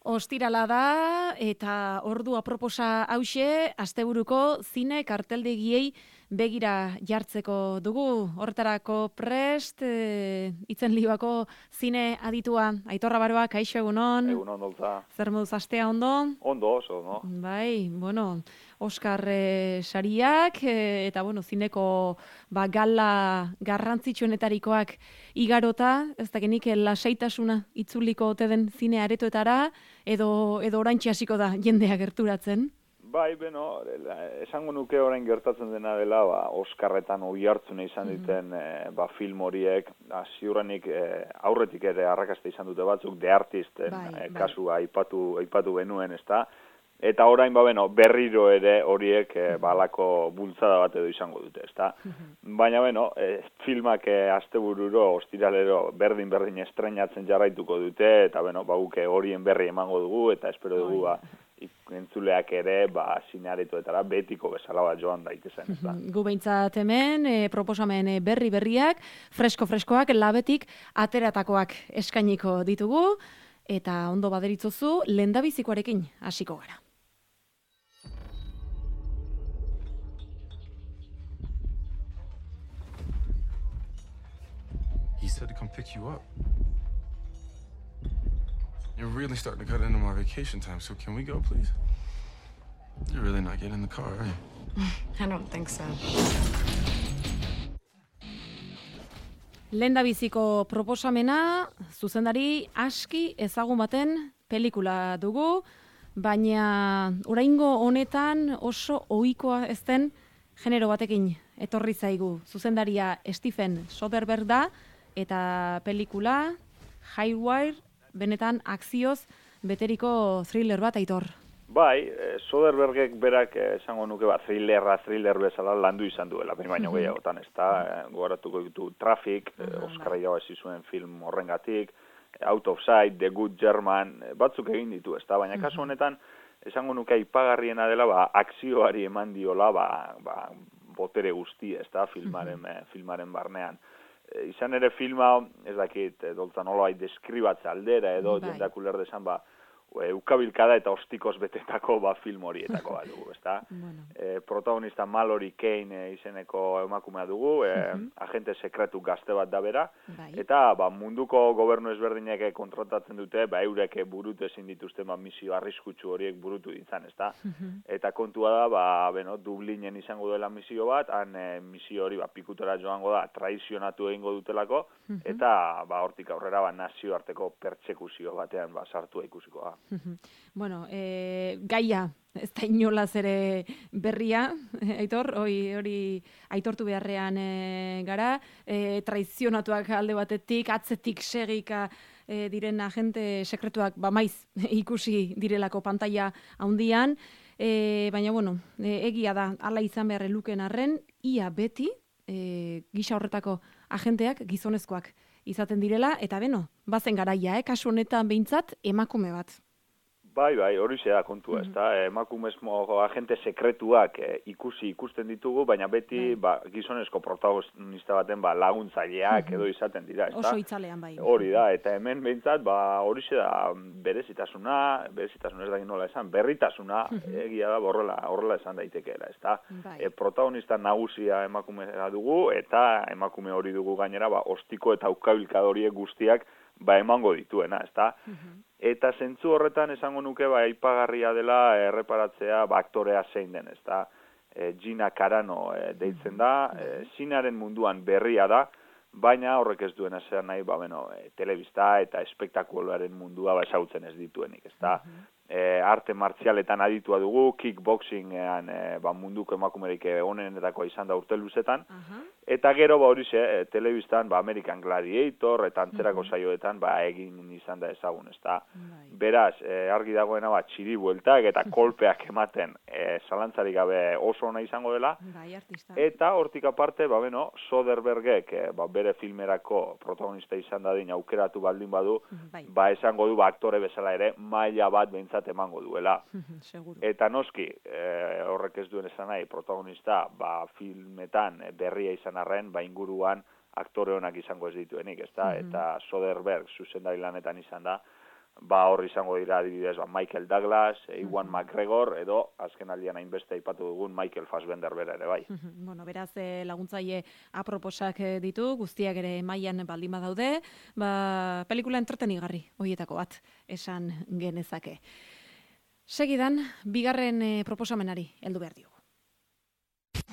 Ostirala da eta ordu aproposa hauxe asteburuko zine karteldegiei begira jartzeko dugu. Horretarako prest, itzen libuako zine aditua. Aitorra Baroa, kaixo egunon. Egunon, dolta. Zer moduz astea ondo? Ondo, oso, no? Bai, bueno, Oskar sariak eta bueno, zineko gala garrantzitsuenetarikoak igarota, ez dakinik lasaitasuna itzuliko ote den zine aretoetara edo oraintxe hasiko da jendea gerturatzen. Bai, beno, esango nuke orain gertatzen dena dela, Oskarretan oihartzuna izan diten film horiek, ziurrenik aurretik ere arrakasta izan dute batzuk, The Artisten kasua aipatu genuen, ezta? Eta orain, berriro ere horiek balako bultzada bat edo izango dute, ezta? Baina, filmak astebururo, ostiralero, berdin estreinatzen jarraituko dute, eta, guke horien berri emango dugu, eta espero dugu, entzuleak ere, zinearetoetara betiko bezala bat joan daitezen, ezta? Gu behintzat hemen, proposamen berriak, freskoak, labetik ateratakoak eskainiko ditugu, eta ondo baderitzozu, lehendabizikoarekin hasiko gara. He said to come pick you up. You're really starting to cut into my vacation time, so can we go, please? You're really not getting in the car, are you? I don't think so. Lehendabiziko proposamena, zuzendari aski ezagun baten pelikula dugu, baina oraingo honetan oso ohikoa ez den genero batekin etorri zaigu. Zuzendaria Stephen Soderbergh da, eta pelikula Haywire, benetan akzioz beteriko thriller bat, Aitor. Bai, Soderberghek berak esango nuke thriller bezala landu izan duela, baina gehiagotan, ez da, gogoratuko ditu Traffic, Oskarra irabazi zuen film horrengatik, Out of Sight, The Good German, batzuk egin ditu, ez da, baina kasu honetan, esango nuke aipagarriena dela, akzioari eman diola, botere guzti, ez da, filmaren barnean. Izan ere filma, ez dakit, dolta nolabait deskribatze aldera edo jendeak uler desan, ukabilkada eta ostikoz betetako film horietako bat dugu, ezta? Protagonista Mallory Kane izeneko emakumea dugu, agente sekretu gazte bat da bera, eta munduko gobernu ezberdinek kontratatzen dute, eurek burutu ezin dituzten misio arriskutsu horiek burutu ditzan, ezta? Eta kontua da, Dublinen izango dela misio bat, han misio hori pikutora joango da, traizionatu egingo dutelako, eta hortik aurrera nazioarteko pertsekuzio batean sartua ikusiko da. Bueno, gaia, ez da inolaz ere berria, Aitor, hori aitortu beharrean gara, traizionatuak alde batetik, atzetik segika diren agente sekretuak maiz ikusi direlako pantalla handian, baina, egia da, hala izan behar luken arren, ia beti, gisa horretako agenteak gizonezkoak izaten direla, eta bazen garaia, kasu honetan behintzat emakume bat. Bai, hori da kontua, ez da, emakumezko agente sekretuak ikusten ditugu, baina beti gizonezko protagonista baten laguntzaileak edo izaten dira, ez da? Oso itzalean bai. Hori da, eta hemen behintzat, hori da berezitasuna ez da nola esan, berritasuna, egia da, horrela esan daitekeela, ez da? Protagonista nagusia emakumea dugu, eta emakume hori dugu gainera, ostiko eta ukabilkadoriek guztiak emango dituena, ez da? Eta zentzu horretan esango nuke aipagarria dela erreparatzea aktorea zein den, ez da? Gina Carano deitzen da, zinearen munduan berria da, baina horrek ez duen esan nahi, telebista eta espektakuloaren mundua ezagutzen ez dituenik, ez da? Arte martzialetan aditua dugu, kickboxingean munduko emakumerik onenetakoa izan da urte luzetan, eta gero telebistan American Gladiator eta antzerako saioetan egin izan da ezagun, ez da? Beraz, argi dagoena txiri bueltak eta kolpeak ematen zalantzarik gabe oso ona izango dela, eta hortik aparte, Soderberghek bere filmerako protagonista izan dadin aukeratu baldin badu, esango du aktore bezala ere maila bat behintzat emango duela. Eta noski, horrek ez duen esan nahi, protagonista filmetan berria izan arren, inguruan aktore honak izango ez dituenik, ezta? Eta Soderbergh zuzendari lanetan izan da, hor izango dira adibidez Michael Douglas, Ewan McGregor edo azken aldian hainbeste aipatu dugun Michael Fassbender bera ere bai. Bueno, beraz laguntzaile aproposak ditu, guztiak ere mailan baldin badaude, pelikula entretenigarri horietako bat esan genezake. Segidan, bigarren proposamenari heldu behar diogu.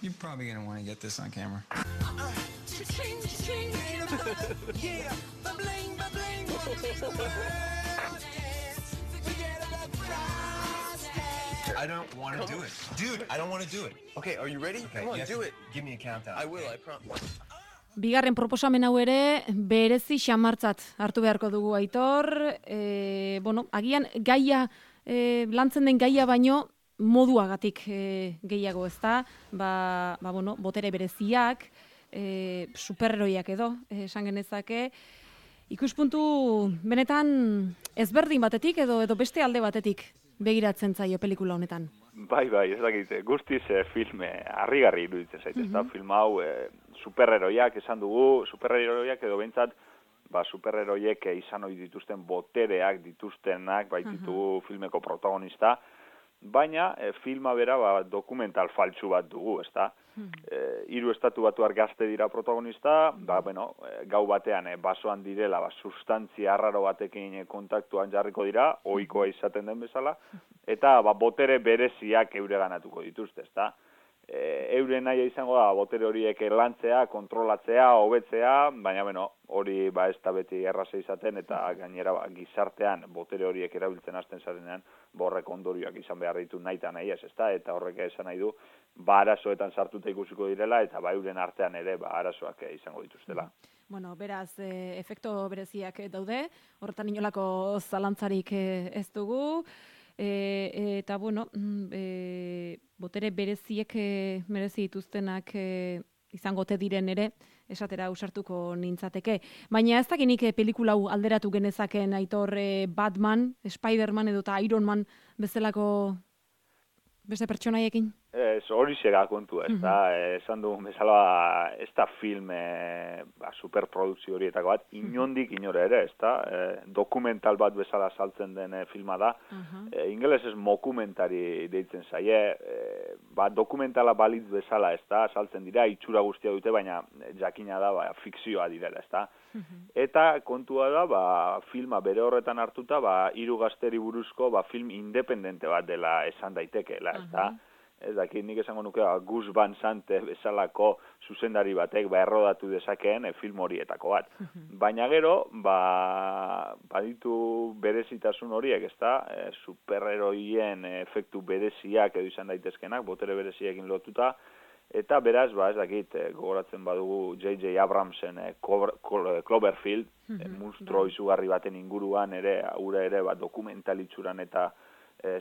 You're probably going to want to get this on camera. I don't want to do it. Dude, I don't want to do it. Okay, are you ready? Okay, come on, do it. Give me a countdown. I will, I promise. Bigarren proposamen hau ere berezi xamartzat hartu beharko dugu Aitor. Agian gaia, lantzen den gaia baino, moduagatik gehiago ezta, botere bereziak, superheroiak edo, esan genezake, ikuspuntu benetan ezberdin batetik edo beste alde batetik begiratzen zaio pelikula honetan. Bai, ez dakit, guztiz filme harrigarri iruditzen zait, ezta, film hau superheroiak esan dugu, superheroiak edo behintzat, superheroiek izan ohi dituzten botereak dituztenak baititu filmeko protagonista, baina filma bera dokumental faltsu bat dugu, ezta? 3 estatu batuar gazte dira protagonista, gau batean basoan direla, sustantzia arraro batekin kontaktuan jarriko dira, ohikoa izaten den bezala, eta botere bereziak eureganatuko dituzte, ezta? Euren nahi izango da botere horiek lantzea, kontrolatzea, hobetzea, baina hori ez da beti erraza izaten eta gainera gizartean botere horiek erabiltzen hasten zarenean horrek ondorioak izan behar ditu nahi eta nahi ez, eta horrek esan nahi du arazoetan sartuta ikusiko direla eta euren artean ere arazoak izango dituztela. Beraz, efekto bereziak daude, horretan inolako zalantzarik ez dugu, eta botere bereziek merezi dituztenak izango te diren ere, esatera ausartuko nintzateke. Baina ez dakinik pelikula hau alderatu genezaken Aitor Batman, Spider-Man edo eta Iron Man bezalako beste pertsonaiekin? Hori zega kontua, ez da, esan dugun bezala ez da film superprodukzio horietako bat, inondik inora ere, ez da, dokumental bat bezala saltzen den filma da, ingelesez mokumentari deitzen zaie, dokumentala balitz bezala, ez da, saltzen dira, itxura guztia dute, baina jakina da, fikzioa direla, ez da. Eta kontua da, filma bere horretan hartuta, 3 gazteri buruzko film independente bat dela esan daitekeela, ez da. Ez dakit, nik esango nuke Gus Van Sant bezalako zuzendari batek errodatu dezakeen film horietako bat. Baina gero, baditu berezitasun horiek, ez da, superheroien efektu bereziak edo izan daitezkenak, botere bereziekin lotuta, eta beraz, ez dakit, gogoratzen badugu J.J. Abramsen Cloverfield, monstruo izugarri baten inguruan ere, hura ere dokumentalitzuran eta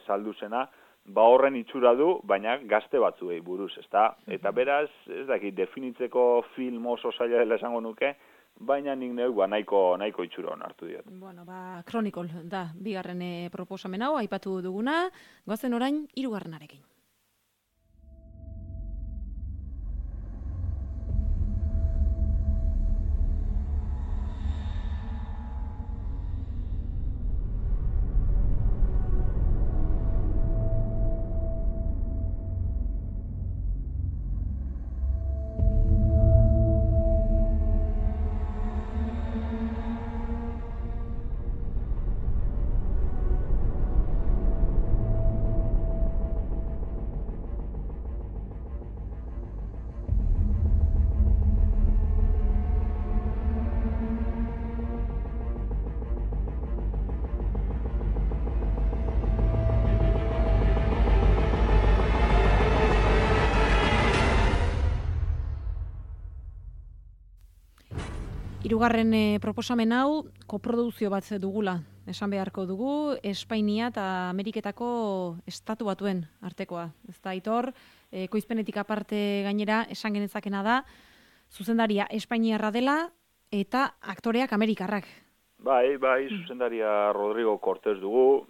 saldu zena, horren itxura du, baina gazte batzuei buruz, ezta? Eta beraz, ez dakit, definitzeko film oso zaila dela esango nuke, baina nik neuk nahiko itxura hon hartu diot. Chronicle da, bigarren proposamen hau, aipatu duguna, goazen orain, 3. Hirugarren proposamen hau koprodukzio bat dugula, esan beharko dugu, Espainia eta Ameriketako estatu batuen artekoa. Ez da, Aitor, ekoizpenetik aparte gainera esan genezakena da, zuzendaria Espainiarra dela eta aktoreak Amerikarrak. Bai, zuzendaria Rodrigo Cortés dugu,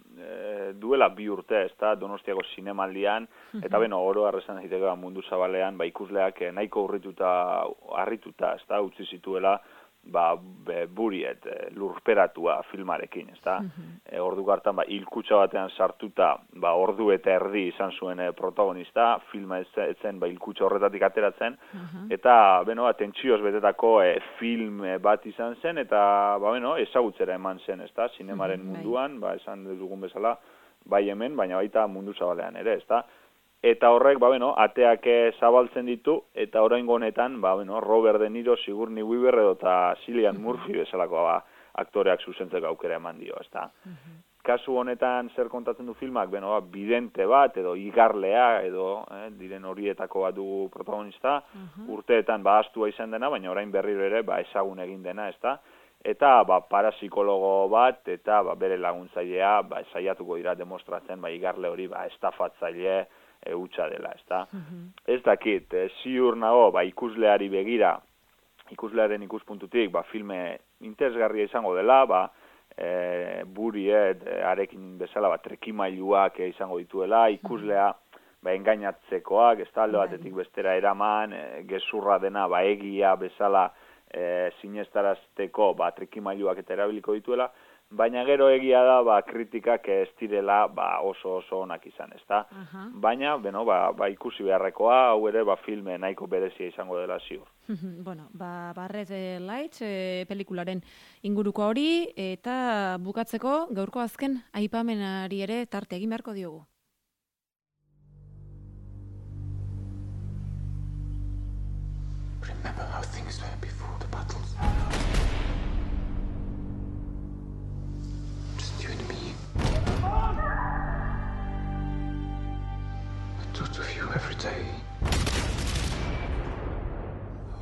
duela 2 urte, ez da, Donostiako zinemaldian, eta oro arrezan daiteke mundu zabalean, ikusleak nahiko harrituta, ez da, utzi zituela, buriet lurperatua filmarekin, ezta? Ordu hartan hilkutxa batean sartuta, ordu eta erdi izan zuen protagonista, filma etzen hilkutxa horretatik ateratzen, eta tentsioz betetako film bat izan zen, eta ezagutzera eman zen, ezta? Zinemaren munduan, esan dugun bezala, bai hemen, baina baita mundu zabalean ere, ezta? Eta horrek, ateak zabaltzen ditu, eta oraingo honetan, Robert De Niro, Sigourney Weaver edo eta Cillian Murphy bezalako aktoreak zuzentzeko aukera eman dio, ezta. Kasu honetan zer kontatzen du filmak, bidente bat edo igarlea edo diren horietako bat dugu protagonista, urteetan ahaztua izan dena, baina orain berriro ere ezagun egin dena, ezta. Eta parapsikologo bat eta bere laguntzailea saiatuko dira demostratzen igarle hori estafatzaile hutsa dela, ezta? Ez dakit, ziur nago, ikusleari begira, ikuslearen ikuspuntutik, filme interesgarria izango dela, buriet, arekin bezala, trekimailuak izango dituela, ikuslea, engainatzekoak, ez da, alde batetik bestera eraman, gezurra dena, egia bezala, sinestarazteko, trekimailuak eta erabiliko dituela, baina gero egia da, kritikak ez direla oso onak izan, ezta? Baina, ikusi beharrekoa, hau ere, filme nahiko berezia izango dela ziur. Bueno, Red Lights pelikularen inguruko hori, eta bukatzeko gaurko azken aipamenari ere tarte egin beharko diogu. Remember how things were before the battles. You and me. I thought of you every day.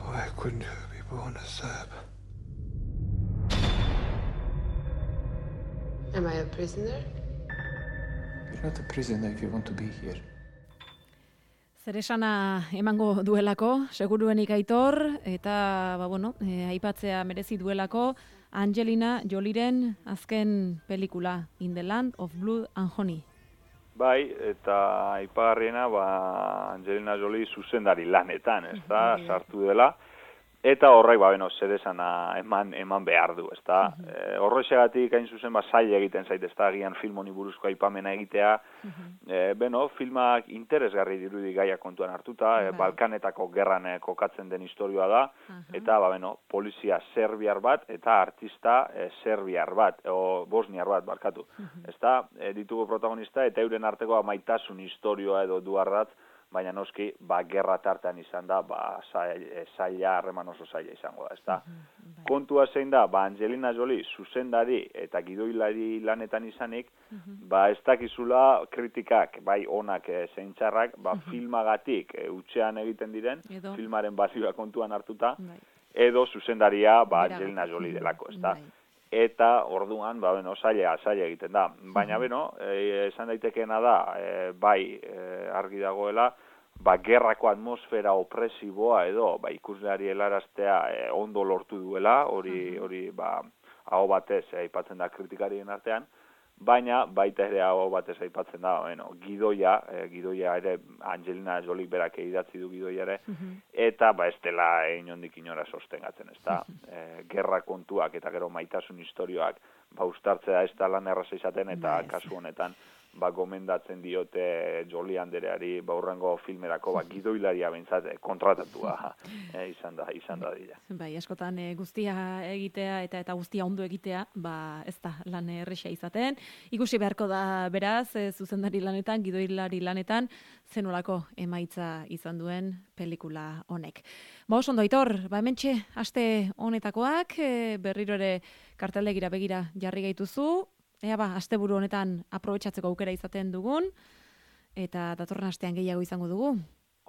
Why couldn't you be born a Serb? Am I a prisoner? You're not a prisoner if you want to be here. Zeresana emango duelako, seguruenik Aitor, eta, aipatzea merezi duelako, Angelina Jolieren azken pelikula, In the Land of Blood and Honey. Bai, eta aipagarriena, Angelina Jolie zuzendari lanetan, ez da, sartu dela, eta horrek, zeresana eman behar du, ez da. Horrexegatik, hain zuzen, zaila egiten zait, ez da, agian film honi buruzko aipamena egitea, filmak interesgarri dirudi gaia kontuan hartuta, Balkanetako gerran kokatzen den historioa da, eta, polizia serbiar bat, eta artista serbiar bat, o bosniar bat, barkatu. Ez da, ditugu protagonista, eta euren arteko maitasun historioa edo duarrat, baina noski, gerra tartean izan da, zaila, harreman oso zaila izango da, ezta? Kontua zein da, Angelina Jolie zuzendari eta gidoilari lanetan izanik, ez dakizula kritikak, onak zein txarrak, filmagatik utxean egiten diren, filmaren balioa kontuan hartuta, edo zuzendaria, Angelina Jolie delako, ezta? Eta orduan, zaila egiten da. Baina, esan daitekeena da, argi dagoela, gerrako atmosfera opresiboa edo, ikusleari helaraztea ondo lortu duela, hori, aho batez, aipatzen da kritikarien artean, baina baita ere hau batez aipatzen da, gidoia ere Angelina Jolie berak idatzi du gidoia ere, eta ez dela inondik inora sostengatzen, ez da, gerra kontuak eta gero maitasun historioak ustartzea ez da lan erraza izaten, eta kasu honetan gomendatzen diote Jolie andereari urrengo filmerako gidoilaria behintzat kontratatua izan da dira. Bai, askotan guztia egitea eta guztia ondo egitea, ez da lan erresa izaten. Ikusi beharko da beraz, zuzendari lanetan, gidoilari lanetan, zenolako emaitza izan duen pelikula honek. Oso ondo, Aitor, hementxe aste honetakoak, berriro ere karteldegira begira jarri gaituzu, asteburu honetan aprobetxatzeko aukera izaten dugun, eta datorren astean gehiago izango dugu.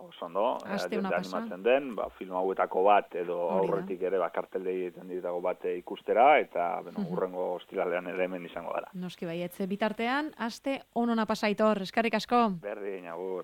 Oso ondo, animatzen den, film hauetako bat, edo aurretik ere karteldegi egiten ditako bat ikustera, eta urrengo ostiralean ere hemen izango gara. Noski baietze bitartean, aste onona pasa, Aitor, eskerrik asko. Berdin, agur.